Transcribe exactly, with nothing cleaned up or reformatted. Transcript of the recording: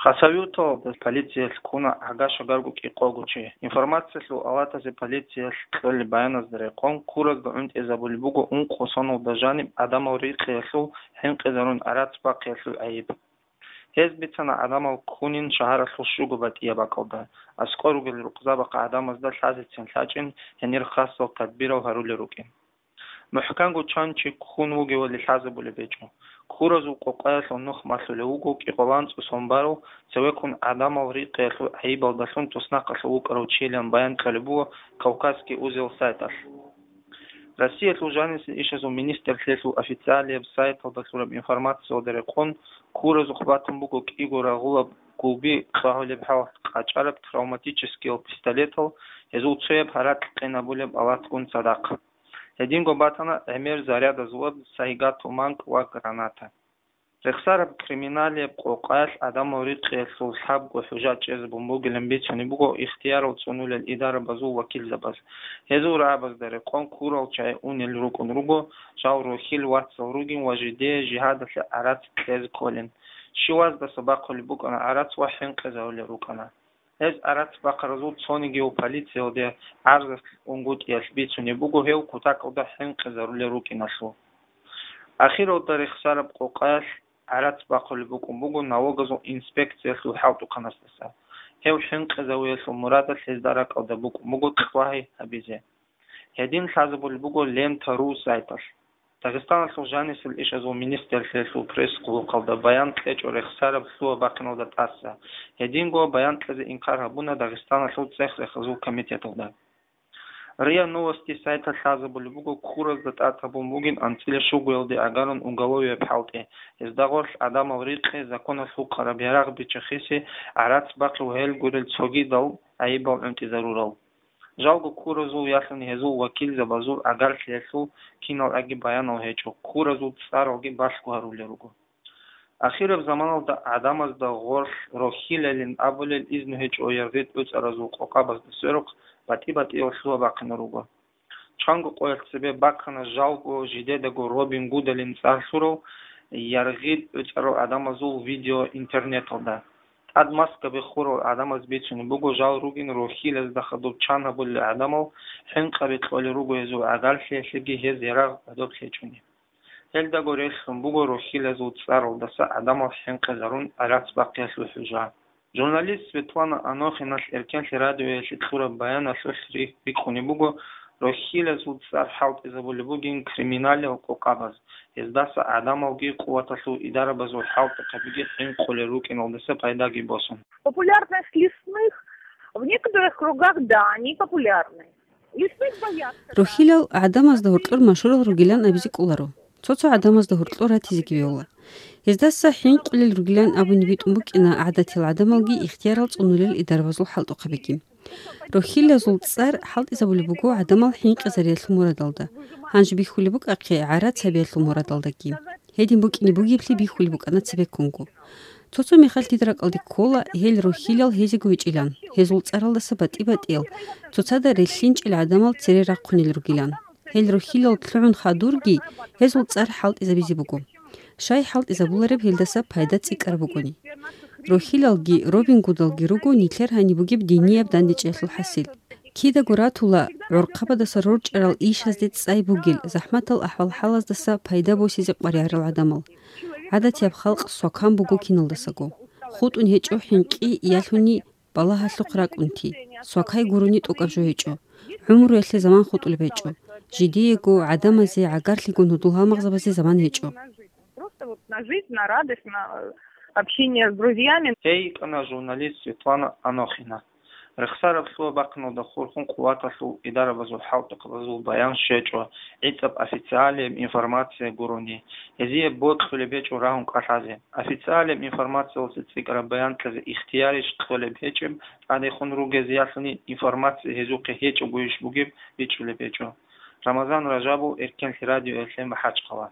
Хасавюрталда полициялъ ккуна гӀага-шагарго кӀикъого чи. Информациялъул авлатазе полициялъ кьолеб баяназда рекъон, куразда гӀунтӀизабулеб буго ункъо соналда жаниб гӀадамал рикъиялъул, хӀинкъизарун гӀарац бахъиялъул гӀайиб. Гьез бицана гӀадамал ккунин шагьаралъул щуго батӀияб бакӀалда, аскӀор ругел рукъзабахъ гӀадамазда лъазецин лъачӀин гьенир хасал тадбирал гьарулел рукӀин. МухӀканго чан чи ккун вугевали лъазабулеб гьечӀо. Куразул къокъаялъул нух малъулев вуго кӀикъоялда анцӀго сон барав, цевеккун гӀадамал рикъиялъул гӀайибалдалъун туснахъалъув вукӀарав чилан баян кьолеб буго «Кавказский узел» сайталъ. Россиялъул жанисел ишазул министрлъиялъул официалияб сайталда лъураб информациялда рекъон, куразухъ батун буго кӀиго рагъулаб гулби кьвагьулеб гьал къачӀараб травматическиял пистолетал, гьезул цояб гьаракь къинабулеб алатгун цадахъ. Гьединго батана гӀемер зарядазулаб сайгатуманг ва граната. Рехсараб криминалияб къокъаялъ гӀадамал рикъиялъул лъабго хӀужа чӀезабун бугилан бицунеб буго ихтиярал цӀунулел идарабазул вакилзабаз. Гьезул рагӀабазда рекъон курал чагӀи унел рукӀун руго, жал рохьил вацал ругин ва жидее жигьадалъе гӀарац кьезе кколин. Щиваздаса бахъулеб букӀана гӀарац ва хӀинкъизарулел рукӀана. Гьез гӀарац бахъаразул цонигияв полициялде гӀарзалъ унгутӀиялъ бицунеб буго гьев кутакалда хӀинкъизарулел рукӀиналъул. Ахиралда рехсараб къокъаялъ гӀарац бахъулеб букӀун буго налогазул инспекциялъул хӀалтӀухъанасдаса. Гьев хӀинкъизавиялъул мурадалъ гьезда ракӀалда букӀун буго кьвагьи гьабизе. Гьедин лъазабулеб буго Лента ру сайталъ. Дагъистаналъул жанисел ишазул министрлъиялъул пресс-къуллукъалда баян кьечӀо рехсараб лъугьа-бахъиналда тӀаса. Гьединго баян кьезе инкар гьабуна Дагъистаналъул цӀех-рехазул комитеталда. РИА Новости сайталъ лъазабулеб буго куразда тӀад гьабун бугин анцӀила щугоялде агарун уголовияб хӀалтӀи, гьезда гъорлъ гӀадамал рикъи, законалъ гьукъараб ярагъ биччахиси, гӀарац бахъи ва гьел гурел цогидал гӀайибал гӀунтӀизарурал. Жалго куразул ялъуни гьезул вакилзабазул гӀагарлъиялъул киналги баянал гьечӀо, куразул цӀаралги балъго гьарулел руго. Ахираб заманалда гӀадамазда гъорлъ рохьилалин абулел изну гьечӀо яргъи тӀуцӀаразул къокъабазда сверухъ батӀи-батӀиял лъугьа-бахъинал руго. Чанго къоялъ цебе бакана жалго жидедаго Робин Гудалин цӀар лъурав яргъи тӀуцӀарал гӀадамазул видео интернеталда. ТӀад маскаби хурал гӀадамаз бицунеб буго жал ругин рохьилазда хадуб чан гьабулел гӀадамал, хӀинкъаби кьолел руго гьезул гӀагарлъиялъеги гьез ярагъ гӀодоб лъечӀони. Гьелдаго релълъун буго рохьилазул цӀаралдаса гӀадамал хӀинкъизарун гӀарац бахъиялъул хӀужа. Журналист Светлана Анохиналъ Эркенлъи радиоялъе кьураб баяналъулъ ри-, рикӀкӀунеб буго, рохьилазул цӀар хӀалтӀизабулеб бугин криминалияб къокъабаз, гьездаса гӀадамалги къуваталъул идарабазул хӀалтӀухъабиги хӀинкъулел рукӀиналдаса пайдаги босун. Популярность лесных в некоторых кругах, да, они популярны. Лесных боятся, да. Рохьилал гӀадамазда гьоркьор машгьурал ругилан абизе кӀоларо. Цо-цо гӀадамазда гьоркьор ратизеги вегьула. Гьездаса хӀинкъулел ругилан абуни битӀун букӀина гӀадатиял гӀадамалги ихтиярал цӀунулел идарабазул хӀалтӀухъабиги. Рохьилазул цӀар хӀалтӀизабулеб буго гӀадамал хӀинкъизариялъул мурадалда, гьанже бихьулеб букӀахъе гӀарац гьабиялъул мурадалдаги. Гьедин букӀине бугеблъи бихьулеб букӀана цебеккунго. Цо-цо мехалъ дида ракӀалде ккола гьел рохьилал гьезего гьечӀилан, гьезул цӀаралдаса батӀи-батӀиял, цоцазда релълъинчӀел гӀадамал цере рахъунел ругилан. Гьел рохьилал лъугӀун хадурги, гьезул цӀар хӀалтӀизабизе буго. Щай хӀалтӀизабулареб гьелдаса пайда цӀикӀкӀараб бугони. Рохьилалги, Робин Гудалги руго нилъер гьаниб бугеб динияб дандечӀеялъул хӀасил. Кидаго ратула гӀорхъабадаса рорчӀарал ишазде цӀай бугел, захӀматал ахӀвал-хӀалаздаса пайда босизе къваригӀарал гӀадамал. ГӀадатияб халкъ свакан буго киналдасаго. ХутӀун гьечӀо хӀинкъи, ялъуни балагьалъухъ ракӀунти, свакай гурони тӀокӀаб жо гьечӀо. ГӀумруялъе заман хутӀулеб гьечӀо. Жидеего, гӀадамазе, гӀагарлъиго гьудул гьалмагъзабазе заман гьечӀо. Просто вот на жизнь, на радость, на, э, общение с друзьями. Гьей йикӀана журналист Светлана Анохина. Рехсараб лъугьа-бахъиналда хурхун къуваталъул идарабазул хӀалтӀухъабазул баян щвечӀо, гӀицӀаб официалияб информация гурони, гьезие бокьулеб гьечӀо рагьун кӀалъазе. Официалияб информациялъе цӀикӀкӀараб баян кьезе ихтиярищ кьолеб гьечӀеб, тӀадехун ругезеялъуни информация гьезухъе гьечӀогойищ бугеб бичӀчӀулеб гьечӀо. Рамазан Ражабов, Эркенлъи радиоялъе, МахӀачхъала.